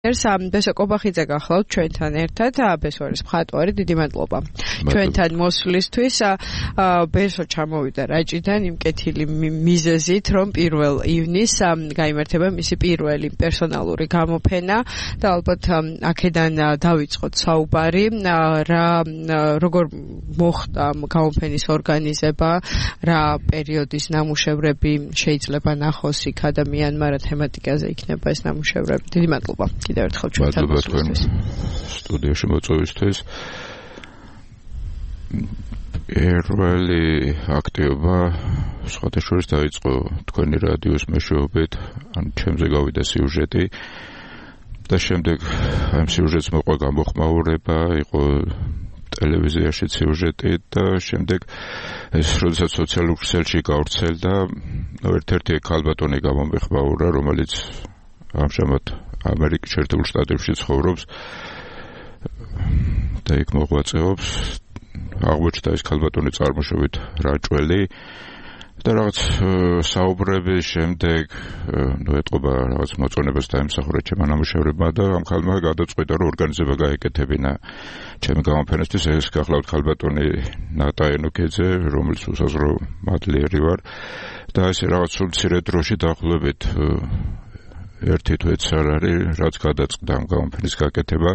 ბესო კობახიძე გახლავთ ჩვენთან ერთად, ბესო არის მხატვარი, დიდი მადლობა ჩვენთან მოსვლისთვის. ბესო ჩამოვიდა რაჭიდან იმ კეთილი მიზეზით, რომ 1 ივნისს გაიმართება მისი პირველი პერსონალური გამოფენა და ალბათ აქედან დავიწყოთ საუბარი, როგორ მოხდა გამოფენის ორგანიზება, რა პერიოდის ნამუშევრები შეიძლება ნახოს იქ ადამიანმა, რა თემატიკაზე იქნება ეს ნამუშევრები. დიდი მადლობა. მადლობა თქვენ სტუდიაში მოწვევისთვის. პირველი აქტივობა სხვადასხვა დაიწყო თქვენი რადიოს მეშვეობით, ან ჩემზე გავიდა სიუჟეტი და შემდეგ ამ სიუჟეტს მოყვა გამოხმაურება, იყო ტელევიზიაში სიუჟეტი და შემდეგ ეს როდესაც სოციალურ ქსელში გავრცელდა, ერთ-ერთი ქალბატონი გამომეხმაურა, რომელიც ამჟამად ამერიკის შეერთებულ შტატებში ცხოვრობს და იქ მოღვაწეობს. აღმოჩნდა ეს ქალბატონი წარმოშობით რაჭველი და რაღაც საუბრების შემდეგ ეტყობა რაღაც მოწონებას დაემსახურა ჩემმა ნამუშევრებმა და ამ ქალმა გადაწყვიტა, რომ ორგანიზება გაეკეთებინა ჩემი გამოფენისთვის. ეს გახლავთ ქალბატონი ნატა ენოქეძე, რომელიც უსაზრო მადლიერი ვარ და ესე რაღაც სულ მცირე დროში დაახლოებით 1 თვეც არ არის, რაც გადაწყდა ამ გამოფენის გაკეთება.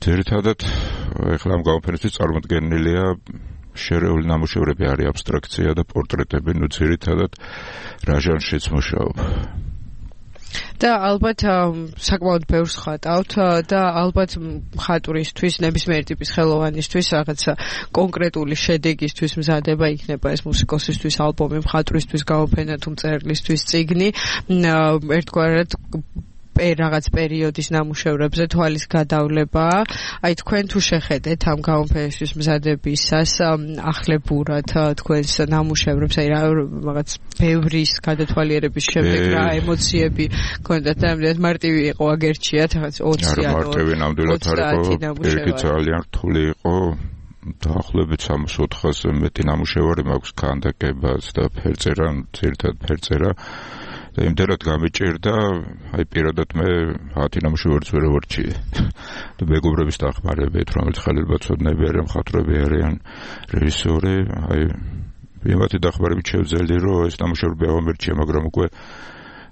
ძირითადად ეხლა ამ გამოფენისთვის წარმოდგენილია შერეული ნამუშევრები, არის აბსტრაქცია და პორტრეტები, ძირითადად რა ჟანრშიც მუშაობ. და ალბათ საკმაოდ ბევრს ხატავთ და ალბათ მხატვრისთვის, ნებისმიერი ტიპის ხელოვანისთვის რაღაცა კონკრეტული შედეგისთვის მზადება იქნება ეს მუსიკოსისთვის ალბომი, მხატვრისთვის გამოფენა თუ მწერლისთვის წიგნი, ერთგვარად რაღაც პერიოდის ნამუშევრებზე თვალის გადავლება. აი თქვენ თუ შეხედეთ ამ გამოფენისთვის მზადებისას ახლებურად თქვენს ნამუშევრებს, აი რაღაც ბევრის გადათვალიერების შემდეგ რა ემოციები გქონდათ და ამდენად მარტივი იყო აგერჩიათ რაღაც 20 ანუ მარტივი ნამდვილად არ იყო, ერთი ძალიან რთული იყო. დაახლოებით 64-ზე მეტი ნამუშევარი მაქვს ქანდაკებაც და ფერწერა, ძირითადად ფერწერა. და იმდენად გამიჭირდა, აი პირადად მე 10 ნამუშევარს ვერ ვარჩიე. და მეგობრების დახმარებით, რომელიც ხალხბაცოდნები არიან, მხატვრები არიან, რეჟისორი, აი იმათი დახმარებით შევძელი, რომ ეს ნამუშევრები ავამერჩიე, მაგრამ უკვე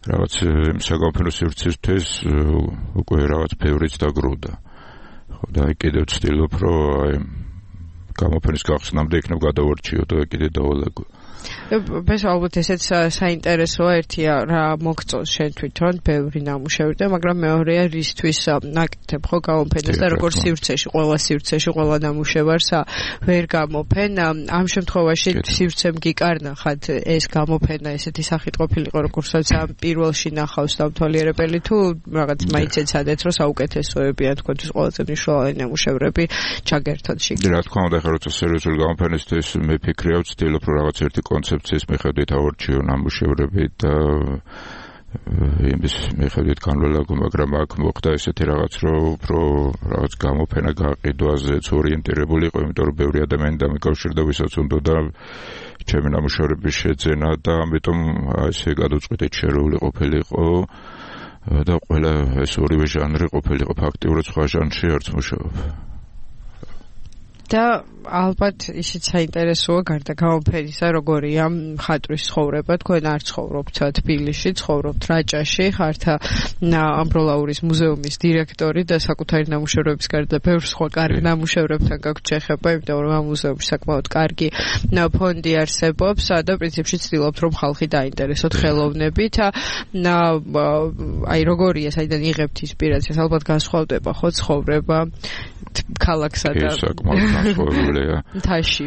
რაღაც საგამოფენო სივრცისთვის უკვე რაღაც ბევრიც დაგროვდა. ხო და აი კიდევ ვცდილობ, რომ აი გამოფენის გახსნამდე იქნებ გადავარჩიო და კიდე დავალაგო. ბესო ალბათ ესეც საინტერესოა, ერთია რა მოგწონს შენ თვითონ ბევრი ნამუშევრი და მაგრამ მეორეა რისთვის ნაკეთებ ხო გამოფენას და როგორ სივრცეში, ყველა სივრცეში, ყველა ნამუშევარს ვერ გამოფენ. ამ შემთხვევაში სივრცემ გიკარნახათ ეს გამოფენა ესეთი სახით ყოფილიყო, როგორცაც ამ პირველში ნახავს დამთვალიერებელი თუ რაღაც მაინც ეცადეთ, რომ საუკეთესოები ან თქვენთვის ყველაზე მნიშვნელოვანი ნამუშევრები ჩაგერთოთ შიგნით. რა თქმა უნდა, ხა როცა სერიოზული გამოფენისთვის მე ფიქრია ვცდილობ, რომ რაღაც ერთი კონცეფციის მიხედვით ავარჩიო ნამუშევრები და იმის მიხედვით განვლაგო, მაგრამ აქ მოხდა ესეთი რაღაც, რომ უფრო რაღაც გამოფენა გაყიდვაზეც ორიენტირებული იყო, იმიტომ რომ ბევრი ადამიანი დამიკავშირდა, ვისაც უნდოდა ჩემი ნამუშევრების შეძენა და ამიტომ ესე გადაწყვიტეთ შერეული ყოფილიყო და ყველა ეს ორივე ჟანრი ყოფილიყო, ფაქტიურად სხვა ჟანრში არც მუშაობ. და ალბათ ისიც საინტერესოა გარდა გამოფენისა, როგორია მხატვრის ცხოვრება. თქვენ არ ცხოვრობთ თბილისში, ცხოვრობთ რაჭაში, ხართ ამბროლაურის მუზეუმის დირექტორი და საკუთარი ნამუშევრების გარდა ბევრ სხვა კარგ ნამუშევრებთან გაქვთ შეხება, იმიტომ რომ ამ მუზეუმში საკმაოდ კარგი ფონდი არსებობს და პრინციპში ცდილობთ, რომ ხალხი დაინტერესოთ ხელოვნებით. აი როგორია, საიდან იღებთ ინსპირაციას, ალბათ განსხვავდება ხო ცხოვრება ქალაქსა და განსხვავებულია. თაში.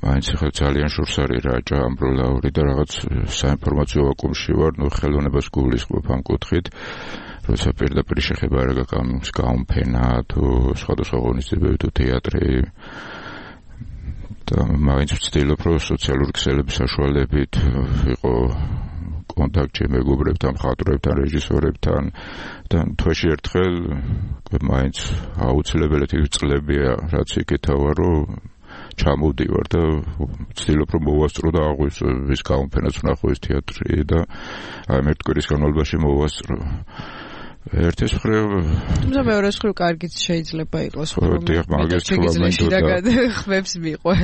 მაინც ახლა ძალიან შორს არის რაჭა, ამბროლაური და რაღაც საინფორმაციო ვაკუუმში ვარ, ხელოვნებას გულისხმობ ამ კუთხით. როცა პირდაპირ შეხება არ გაქვს გამოფენა თუ სხვადასხვა ღონისძიებები თუ თეატრი. და მაინც ვცდილობ, რომ სოციალური ქსელების საშუალებით იყო კონტაქტში მეგობრებთან, მხატვრებთან, რეჟისორებთან და თვეში ერთხელ მაინც აუცილებლად წლებია, რაც იკეთავა, რომ ჩამოვდივარ და ვცდილობ, რომ მოვასწრო და აღვისო ის გამოფენაც ვნახო, ეს თეატრი და აი ერთ კვირის განმავლობაში მოვასწრო. ერთის მხრივ თუმცა მეორეს მხრივ კარგიც შეიძლება იყოს რომ მაგის ხმებს მიყვე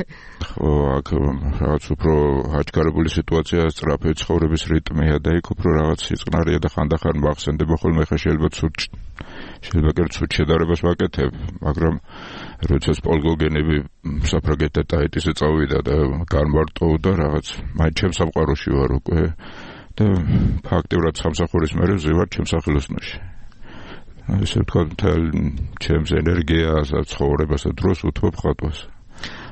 ხო აქ რაღაც უფრო აჩქარებული სიტუაცია სწრაფი ცხოვრების რიტმია და იქ უფრო რაღაც სიწყნარია და ხანდახან მახსენდება ხოლმე ხა შეიძლება კერძოდ შედარებას ვაკეთებ მაგრამ როდესაც პოლგოგენები საფრანგეთთან ტაიტიზე წავიდა და განმარტოვდა რაღაც მაინც ჩემს სამყაროში ვარ უკვე და ფაქტიურად სამსახურის მერე ვზივარ ჩემს სახელოსნოში ესე ვთქვა ჩემს ენერგიას და ცხოვრებას და დროს უთმობ ხატვას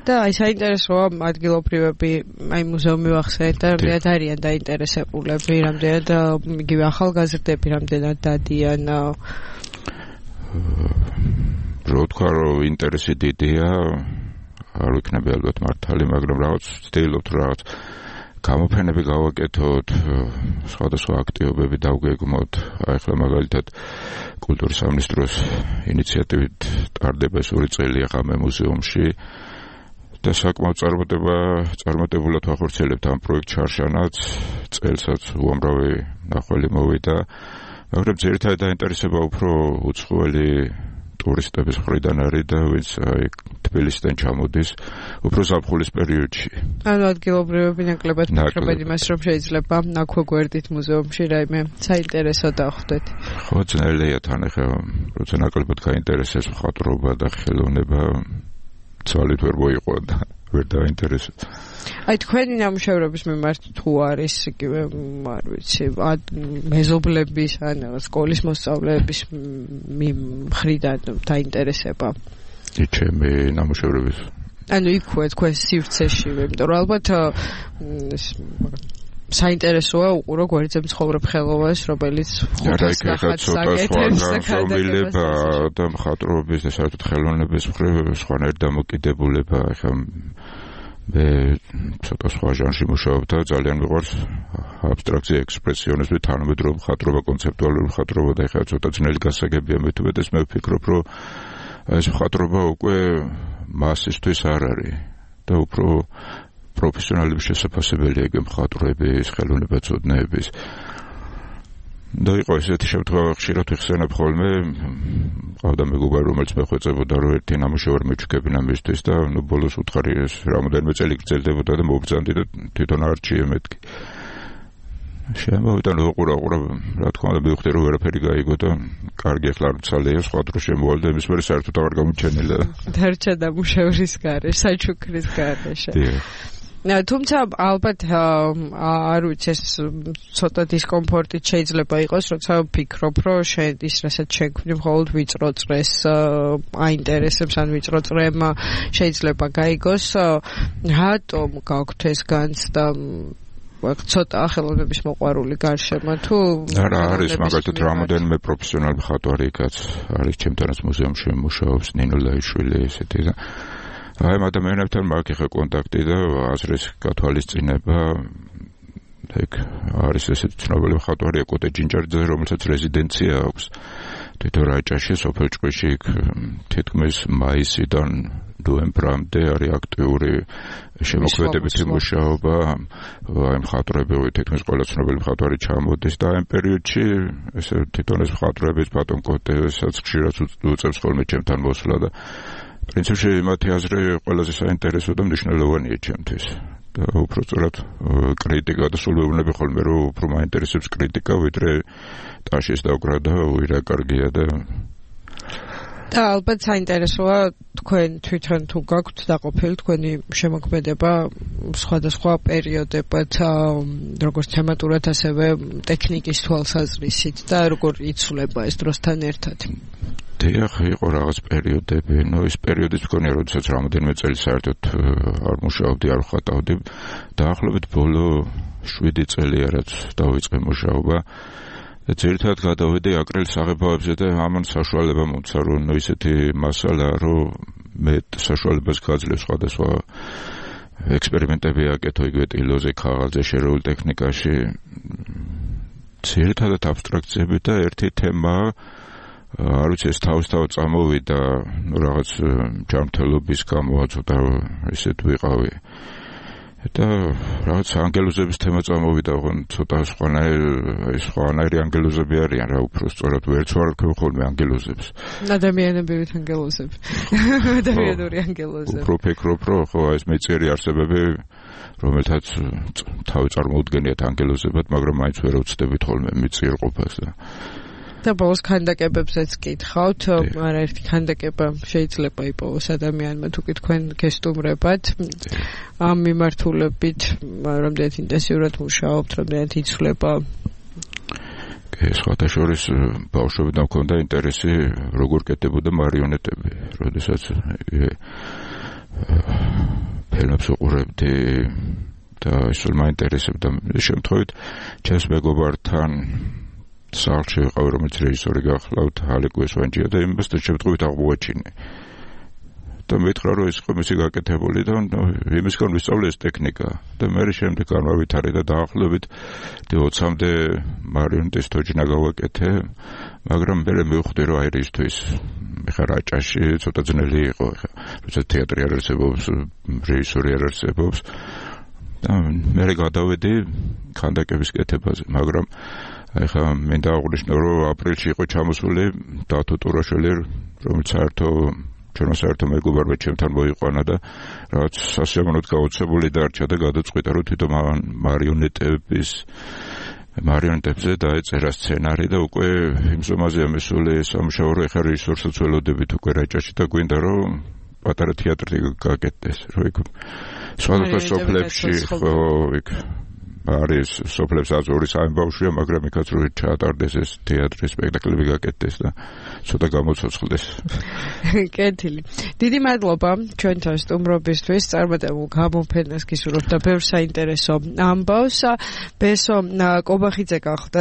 და აი საინტერესოა ადგილობრივები აი მუზეუმი ვახსენეთ და რამდენად არიან დაინტერესებულები რამდენად იგივე ახალგაზრდები რამდენად დადიან რო თქვა რომ ინტერესი დიდია არ ვიქნები ალბათ მართალი მაგრამ რაღაც ვცდილობთ რაღაც გამოფენები გავაკეთოთ, სხვადასხვა აქტივობები დავგეგმოთ. აი ხლა მაგალითად კულტურის სამინისტროს ინიციატივით ტარდება ეს 2 წელი ახლა მუზეუმში და საკმაოდ წარმატებულად ვახორციელებთ ამ პროექტ ჩარშანაც, წელსაც უამრავი ნახველი მოვიდა, მაგრამ ძირითადად დაინტერესება უფრო უცხოელი ტურისტების მხრიდან არის და ვინც აი თბილისიდან ჩამოდის უფრო ზაფხულის პერიოდში. ანუ ადგილობრივები ნაკლებად ფიქრობენ იმას, რომ შეიძლება აქვე გვერდით მუზეუმში რაიმე საინტერესო დახვდეთ. ხო, ძნელია თან ახლა, როცა ნაკლებად გაინტერესებს მხატვრობა და ხელოვნება, ცალით ვერ მოიყვა და ვერ დაინტერესებს. აი თქვენი ნამუშევრების მიმართ თუ არის იგივე არ ვიცი მეზობლების ან სკოლის მოსწავლეების მხრიდან დაინტერესება ჩემი ნამუშევრების ანუ იქვე თქვენ სივრცეშივე იმიტომ რომ ალბათ საინტერესოა უყურო გვერდზე მცხოვრებ ხელოვანს რომელიც ხუთას ნახატს აკეთებს და მხატვრობის და საერთოდ ხელოვნების მხრივ სხვანაირ დამოკიდებულება ახლა მე ცოტა სხვა ჟანრში მუშაობ და ძალიან მიყვარს აბსტრაქცია, ექსპრესიონიზმი, თანამედროვე მხატვრობა, კონცეპტუალური მხატვრობა და ეხლა ცოტა ძნელი გასაგებია მე თუმცა მე ვფიქრობ, რომ ეს მხატვრობა უკვე მასისთვის არ არის და უფრო პროფესიონალების შესაძლებელია ეგ მხატვრების, ხელოვნებაცოდნეების და იყო ესეთი შემთხვევა ხშირად ვიხსენებ ხოლმე ყავდა მეგობარი რომელიც მეხვეწებოდა რომ ერთი ნამუშევარი მეჩქებინა მისთვის და ნუ ბოლოს უთხარი ეს რამოდენიმე წელი გრძელდებოდა და მოვბრძანდი და თვითონ არჩიე მეთქი შემოვიდა უყურა რა თქმა უნდა მივხვდი რომ ვერაფერი გაიგო და კარგი ახლა არ ვცალია სხვა დრო შემოვალ და იმის მერე საერთოდ აღარ გამოჩენილა დარჩა ნამუშევრის გარეშე საჩუქრის გარეშე თუმცა ალბათ არ ვიცი ეს ცოტა დისკომფორტით შეიძლება იყოს როცა ვფიქრობ რომ შენ ის რასაც შეგვი მხოლოდ ვიწრო წრეს აინტერესებს ან ვიწრო წრემ შეიძლება გაიგოს რატომ გაქვთ ეს განცდა ცოტა ხელოვნების მოყვარული გარშემო თუ არა არის მაგალითად რამოდენიმე პროფესიონალი მხატვარი იქაც არის ჩემთანაც მუზეუმში მუშაობს ნინო ლაიშვილი ესეთი და აი ადამიანებთან მაქვს ხა კონტაქტი და აზრის გათვალისწინება ეგ არის ესეთი ცნობილი მხატვარი ეკოტე ჯინჯარიძე რომელსაც რეზიდენცია აქვს თვითონ რაჭაში სოფელ ჭყვიში თითქმის მაისიდან ნოემბრამდე არის აქტიური შემოქმედებითი მუშაობა აი მხატვრები თითქმის ყველა ცნობილი მხატვარი ჩამოდის და ამ პერიოდში ესე თვითონ ეს მხატვრების ბატონ კოტესაც ხშირად უწევს ხოლმე ჩემთან მოსვლა და პრინციპში მათი აზრი ყველაზე საინტერესო და მნიშვნელოვანია ჩემთვის და უფრო სწორად კრიტიკა და სულ ვეუბნები ხოლმე რომ უფრო მაინტერესებს კრიტიკა ვიდრე ტაშის დაკვრა და უირა კარგია და ალბათ საინტერესოა თქვენ თვითონ თუ გაქვთ დაყოფილი თქვენი შემოქმედება სხვადასხვა პერიოდებად როგორც თემატურად ასევე ტექნიკის თვალსაზრისით და როგორ იცვლება ეს დროსთან ერთად დიახ, იყო რაღაც პერიოდები, ნუ ის პერიოდიც მქონია, როდესაც რამოდენიმე წელი საერთოდ არ მუშაობდი, არ ვხატავდი. დაახლოებით ბოლო 7 წელია რაც დავიწყე მუშაობა. და ძირითადად გადავედი აკრილის აღებავებზე და ამან საშუალება მომცა, რომ ნუ ისეთი მასალა, რომ მე საშუალებას გაძლევს სხვადასხვა ექსპერიმენტები აკეთო იგივე ტილოზე, ქაღალდზე, შერეულ ტექნიკაში. ძირითადად აბსტრაქციები და ერთი თემა არ ვიცი ეს თავისთავად წამოვიდა რაღაც ჯანმრთელობის გამო ცოტა ისეთ ვიყავი და რაღაც ანგელოზების თემა წამოვიდა, ოღონდ ცოტა სხვანაირი ანგელოზები არიან რა უფრო სწორად ვერც ვარ თქვენ ხოლმე ანგელოზებს. ადამიანებივით ანგელოზები. ადამიანური ანგელოზები. უფრო ფიქრობ, რომ ხო ეს მეწიერი არსებები, რომელთაც თავი წარმოუდგენიათ ანგელოზებად, მაგრამ მაინც ვერ ვწდებით ხოლმე მეწიერ ყოფას და ბოლოს ქანდაკებებზეც კითხავთ, არაერთი ქანდაკება შეიძლება იპოვოს ადამიანმა თუკი თქვენ გესტუმრებათ. ამ მიმართულებით რამდენად ინტენსიურად მუშაობთ, რამდენად იცვლება? სხვათა შორის ბავშვებიდან მქონდა ინტერესი როგორ კეთდებოდა მარიონეტები, როდესაც ფილმებს უყურებდი და ისე მაინტერესებდა. შემთხვევით ჩემს მეგობართან სახლში ვიყავ, რომელიც რეჟისორი გახლავთ ალეკ ვესვანჯია და იმასთან შემთხვევით აღმოაჩინე. და მეთხრა, რომ ეს ყომისი გაკეთებული და იმისგან ვისწავლე ეს ტექნიკა და მე შემდეგ განავითარე და დაახლოებით 20-მდე მარიონეტის თოჯინა გავაკეთე, მაგრამ მე მივხვდი, რომ აი რისთვის ეხლა რაჭაში ცოტა ძნელი იყო, ეხლა როცა თეატრი არ არსებობს, რეჟისორი არ არსებობს და მე გადავედი ქანდაკების კეთებაზე, მაგრამ ეხლა მე დავაღვნიშნო, რომ აპრილში იყო ჩამოსული დათო ტურაშვილი, რომელიც ჩვენო საერთო მეგობარმა ჩემთან მოიყვანა და რაღაც სასიამოვნოდ გაოცებული დარჩა და გადაწყვიტა, რომ თვითონ მარიონეტებზე დაეწერა სცენარი და უკვე იმ ზომაზეა მისული სამუშაო, რომ ეხლა რეჟისორსაც ველოდებით უკვე რაჭაში და გვინდა, რომ პატარა თეატრი გაკეთდეს, რომ იქ სხვადასხვა სოფლებში ხო იქ არის სოფლებს აზური სამი ბავშვია, მაგრამ იქაც რო ჩაატარდეს ეს თეატრის სპექტაკლები გაკეთდეს და ცოტა გამოცოცხლდეს. კეთილი. დიდი მადლობა ჩვენთან სტუმრობისთვის, წარმატებულ გამოფენას გისურვებთ და ბევრ საინტერესო ამბავს. ბესო კობახიძე გახლდათ